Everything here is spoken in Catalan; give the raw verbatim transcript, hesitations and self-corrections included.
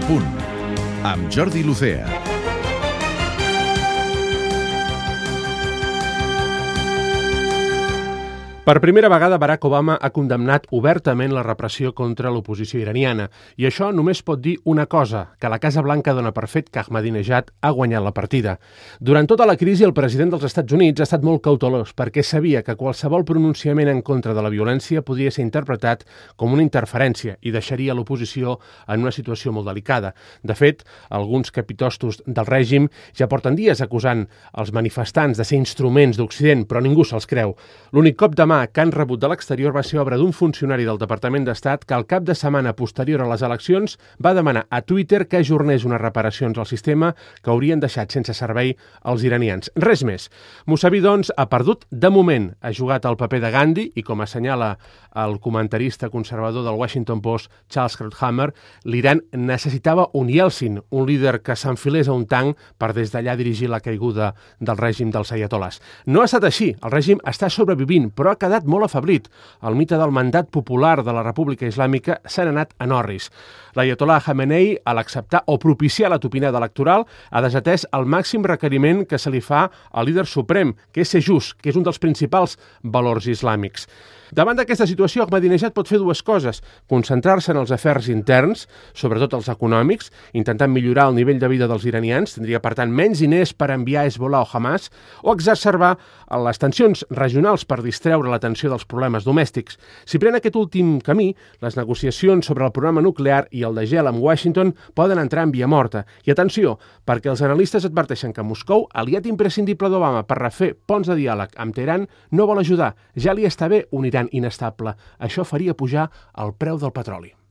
Punt, amb Jordi Lucea. Per primera vegada, Barack Obama ha condemnat obertament la repressió contra l'oposició iraniana. I això només pot dir una cosa, que la Casa Blanca dona per fet que Ahmadinejad ha guanyat la partida. Durant tota la crisi, el president dels Estats Units ha estat molt cautelós perquè sabia que qualsevol pronunciament en contra de la violència podia ser interpretat com una interferència i deixaria l'oposició en una situació molt delicada. De fet, alguns capitostos del règim ja porten dies acusant els manifestants de ser instruments d'Occident, però ningú se'ls creu. L'únic cop de mà que han rebut de l'exterior va ser obra d'un funcionari del Departament d'Estat que al cap de setmana posterior a les eleccions va demanar a Twitter que ajornés unes reparacions al sistema que haurien deixat sense servei els iranians. Res més. Mossavi, doncs, ha perdut de moment. Ha jugat el paper de Gandhi i, com assenyala el comentarista conservador del Washington Post, Charles Krauthammer, l'Iran necessitava un Yeltsin, un líder que s'enfilés a un tanc per des d'allà dirigir la caiguda del règim dels aiatolars. No ha estat així. El règim està sobrevivint, però ha quedat molt afeblit. El mite del mandat popular de la República Islàmica s'ha anat a Norris. L'aiatolà Khamenei, a l'acceptar o propiciar la tupinada electoral, ha desatès el màxim requeriment que se li fa al líder suprem, que és ser just, que és un dels principals valors islàmics. Davant d'aquesta situació, Ahmadinejad pot fer dues coses: concentrar-se en els afers interns, sobretot els econòmics, intentant millorar el nivell de vida dels iranians, tindria per tant menys diners per enviar a Hezbollah o Hamas, o exacerbar les tensions regionals per distreure l'atenció dels problemes domèstics. Si pren aquest últim camí, les negociacions sobre el programa nuclear i el de gel amb Washington poden entrar en via morta. I atenció, perquè els analistes adverteixen que Moscou, aliat imprescindible d'Obama per refer ponts de diàleg amb Teheran, no vol ajudar. Ja li està bé un Iran inestable. Això faria pujar el preu del petroli.